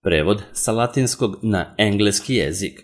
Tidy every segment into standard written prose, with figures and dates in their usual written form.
Prevod sa latinskog na engleski jezik.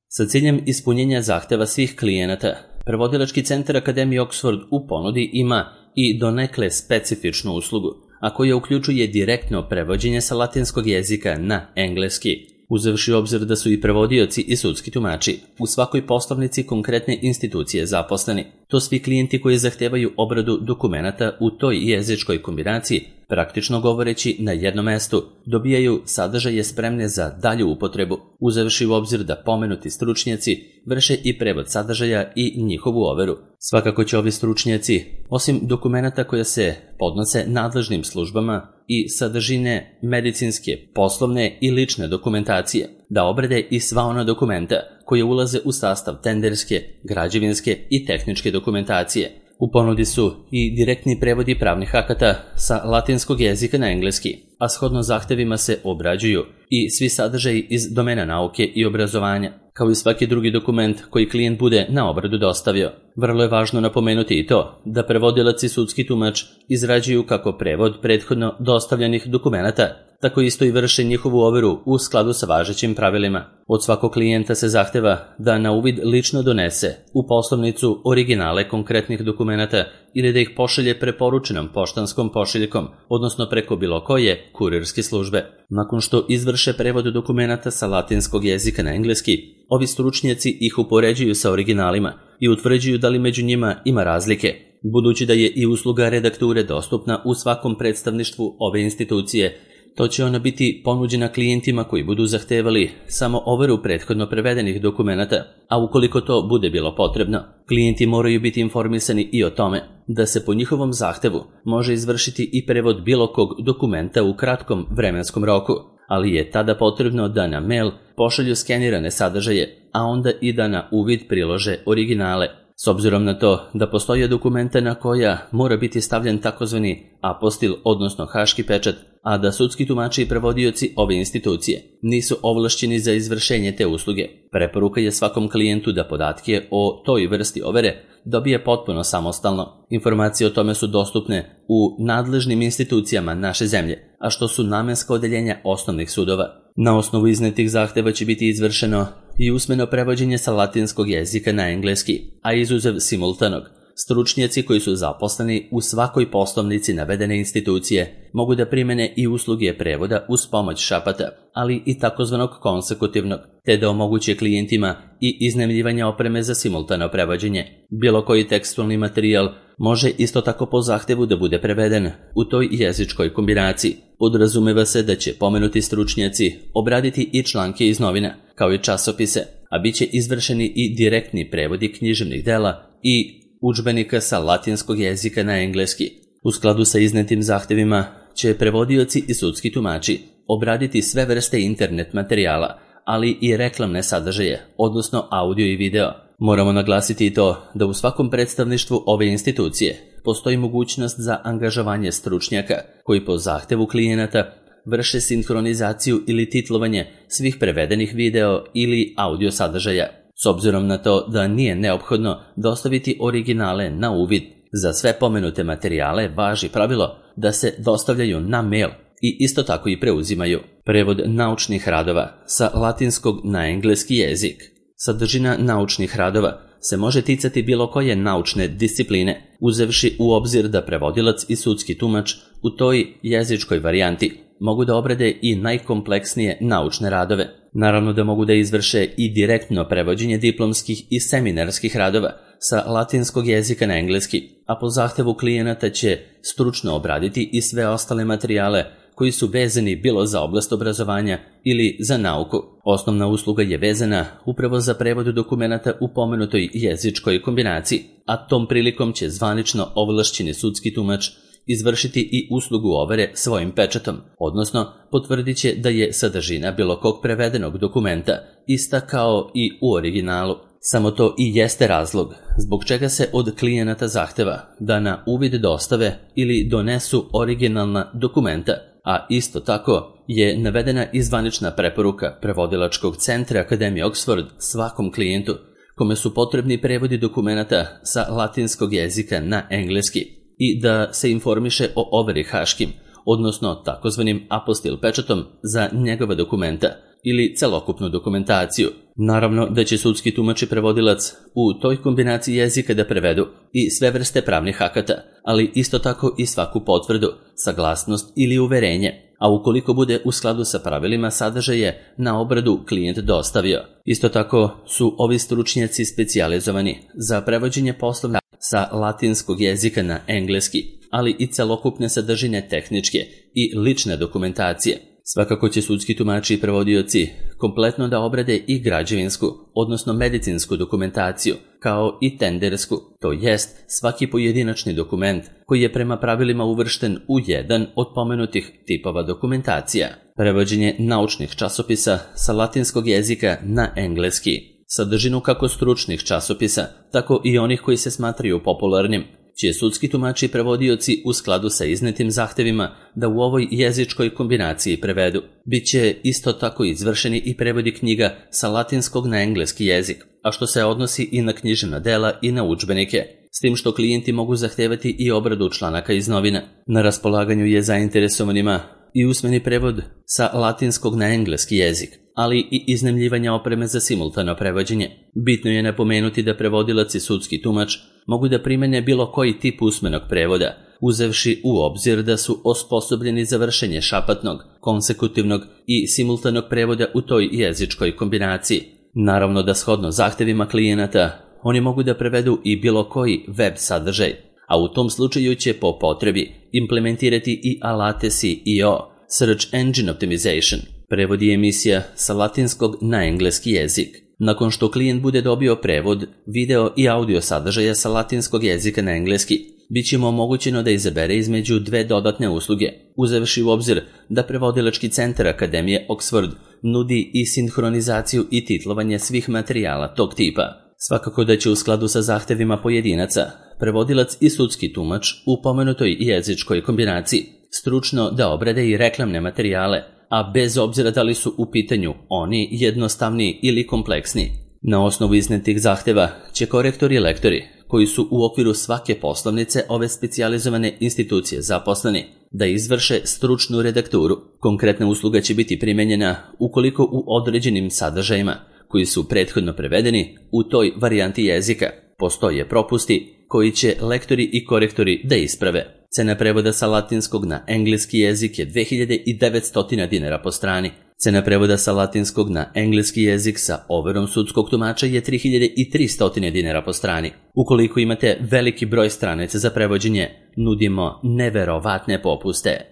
Sa ciljem ispunjenja zahteva svih klijenata, prevodilački centar Akademije Oxford u ponudi ima i donekle specifičnu uslugu, a koja uključuje direktno prevođenje sa latinskog jezika na engleski, uzevši u obzir da su i prevodioci i sudski tumači u svakoj poslovnici konkretne institucije zaposleni. To svi klijenti koji zahtevaju obradu dokumenata u toj jezičkoj kombinaciji, praktično govoreći na jednom mestu, dobijaju sadržaje spremne za dalju upotrebu, uzevši u obzir da pomenuti stručnjaci vrše i prevod sadržaja i njihovu overu. Svakako će ovi stručnjaci, osim dokumenata koja se podnose nadležnim službama i sadržine medicinske, poslovne i lične dokumentacije, da obrade i sva ona dokumenta koje ulaze u sastav tenderske, građevinske i tehničke dokumentacije. U ponudi su i direktni prevodi pravnih akata sa latinskog jezika na engleski, a shodno zahtevima se obrađuju i svi sadržaji iz domena nauke i obrazovanja, kao i svaki drugi dokument koji klijent bude na obradu dostavio. Vrlo je važno napomenuti i to da prevodilac i sudski tumač izrađuju kako prevod prethodno dostavljenih dokumenata, tako isto i vrše njihovu overu u skladu sa važećim pravilima. Od svakog klijenta se zahteva da na uvid lično donese u poslovnicu originale konkretnih dokumenata ili da ih pošalje preporučenom poštanskom pošiljkom, odnosno preko bilo koje kurirske službe. Nakon što izvrše prevod dokumenata sa latinskog jezika na engleski, ovi stručnjaci ih upoređuju sa originalima i utvrđuju da li među njima ima razlike. Budući da je i usluga redakture dostupna u svakom predstavništvu ove institucije, to će ona biti ponuđena klijentima koji budu zahtevali samo overu prethodno prevedenih dokumenata, a ukoliko to bude bilo potrebno, klijenti moraju biti informisani i o tome da se po njihovom zahtevu može izvršiti i prevod bilo kog dokumenta u kratkom vremenskom roku, ali je tada potrebno da na mail pošalju skenirane sadržaje, a onda i da na uvid prilože originale. S obzirom na to da postoje dokumenta na koja mora biti stavljen takozvani apostil, odnosno haški pečat, a da sudski tumači i prevodioci ove institucije nisu ovlašćeni za izvršenje te usluge, preporuka je svakom klijentu da podatke o toj vrsti overe dobije potpuno samostalno. Informacije o tome su dostupne u nadležnim institucijama naše zemlje, a što su namenska odeljenja osnovnih sudova. Na osnovu iznetih zahteva će biti izvršeno i usmeno prevođenje sa latinskog jezika na engleski, a izuzev simultanog, stručnjaci koji su zaposleni u svakoj poslovnici navedene institucije mogu da primene i usluge prevoda uz pomoć šapata, ali i takozvanog konsekutivnog, te da omoguće klijentima i iznajmljivanje opreme za simultano prevođenje. Bilo koji tekstualni materijal može isto tako po zahtevu da bude preveden u toj jezičkoj kombinaciji. Podrazumeva se da će pomenuti stručnjaci obraditi i članke iz novina, kao i časopise, a bit će izvršeni i direktni prevodi književnih dela i udžbenika sa latinskog jezika na engleski. U skladu sa iznetim zahtevima će prevodioci i sudski tumači obraditi sve vrste internet materijala, ali i reklamne sadržaje, odnosno audio i video. Moramo naglasiti i to da u svakom predstavništvu ove institucije postoji mogućnost za angažovanje stručnjaka koji po zahtevu klijenata vrše sinhronizaciju ili titlovanje svih prevedenih video ili audio sadržaja. S obzirom na to da nije neophodno dostaviti originale na uvid, za sve pomenute materijale važi pravilo da se dostavljaju na mail i isto tako i preuzimaju. Prevod naučnih radova sa latinskog na engleski jezik. Sadržina naučnih radova se može ticati bilo koje naučne discipline, uzevši u obzir da prevodilac i sudski tumač u toj jezičkoj varijanti mogu da obrade i najkompleksnije naučne radove. Naravno da mogu da izvrše i direktno prevođenje diplomskih i seminarskih radova sa latinskog jezika na engleski, a po zahtevu klijenata će stručno obraditi i sve ostale materijale koji su vezani bilo za oblast obrazovanja ili za nauku. Osnovna usluga je vezana upravo za prevod dokumenata u pomenutoj jezičkoj kombinaciji, a tom prilikom će zvanično ovlašćeni sudski tumač izvršiti i uslugu overe svojim pečatom, odnosno potvrdit će da je sadržina bilo kog prevedenog dokumenta ista kao i u originalu. Samo to i jeste razlog zbog čega se od klijenata zahteva da na uvid dostave ili donesu originalna dokumenta, a isto tako je navedena i zvanična preporuka prevodilačkog centra Akademije Oxford svakom klijentu kome su potrebni prevodi dokumenata sa latinskog jezika na engleski i da se informiše o overi haškim, odnosno takozvanim apostil pečatom za njegova dokumenta ili celokupnu dokumentaciju. Naravno da će sudski tumač i prevodilac u toj kombinaciji jezika da prevedu i sve vrste pravnih akata, ali isto tako i svaku potvrdu, saglasnost ili uverenje, a ukoliko bude u skladu sa pravilima sadržaje na obradu klijent dostavio. Isto tako su ovi stručnjaci specijalizovani za prevođenje poslovna sa latinskog jezika na engleski, ali i celokupne sadržine tehničke i lične dokumentacije. Svakako će sudski tumači i prevodioci kompletno da obrade i građevinsku, odnosno medicinsku dokumentaciju, kao i tendersku, to jest svaki pojedinačni dokument koji je prema pravilima uvršten u jedan od pomenutih tipova dokumentacija. Prevođenje naučnih časopisa sa latinskog jezika na engleski, sadržinu kako stručnih časopisa, tako i onih koji se smatraju popularnim, će sudski tumači i prevodioci u skladu sa iznetim zahtevima da u ovoj jezičkoj kombinaciji prevedu. Biće isto tako izvršeni i prevodi knjiga sa latinskog na engleski jezik, a što se odnosi i na književna dela i na udžbenike, s tim što klijenti mogu zahtevati i obradu članaka iz novina. Na raspolaganju je zainteresovanima i usmeni prevod sa latinskog na engleski jezik, ali i iznajmljivanja opreme za simultano prevođenje. Bitno je napomenuti da prevodilac i sudski tumač mogu da primene bilo koji tip usmenog prevoda, uzevši u obzir da su osposobljeni za vršenje šapatnog, konsekutivnog i simultanog prevoda u toj jezičkoj kombinaciji. Naravno da shodno zahtevima klijenata oni mogu da prevedu i bilo koji web sadržaj, a u tom slučaju će po potrebi implementirati i alate SEO, Search Engine Optimization, prevodi emisija sa latinskog na engleski jezik. Nakon što klijent bude dobio prevod, video i audio sadržaja sa latinskog jezika na engleski, bit će mu omogućeno da izabere između dve dodatne usluge, uzevši u obzir da prevodilački centar Akademije Oxford nudi i sinhronizaciju i titlovanje svih materijala tog tipa. Svakako da će u skladu sa zahtevima pojedinaca, prevodilac i sudski tumač u pomenutoj jezičkoj kombinaciji stručno da obrade i reklamne materijale, a bez obzira da li su u pitanju oni jednostavniji ili kompleksniji. Na osnovu iznetih zahteva će korektori i lektori, koji su u okviru svake poslovnice ove specijalizovane institucije zaposleni, da izvrše stručnu redakturu. Konkretna usluga će biti primenjena ukoliko u određenim sadržajima, koji su prethodno prevedeni u toj varijanti jezika, postoje propusti koji će lektori i korektori da isprave. Cena prevoda sa latinskog na engleski jezik je 2900 dinara po strani. Cena prevoda sa latinskog na engleski jezik sa overom sudskog tumača je 3300 dinara po strani. Ukoliko imate veliki broj stranica za prevođenje, nudimo neverovatne popuste.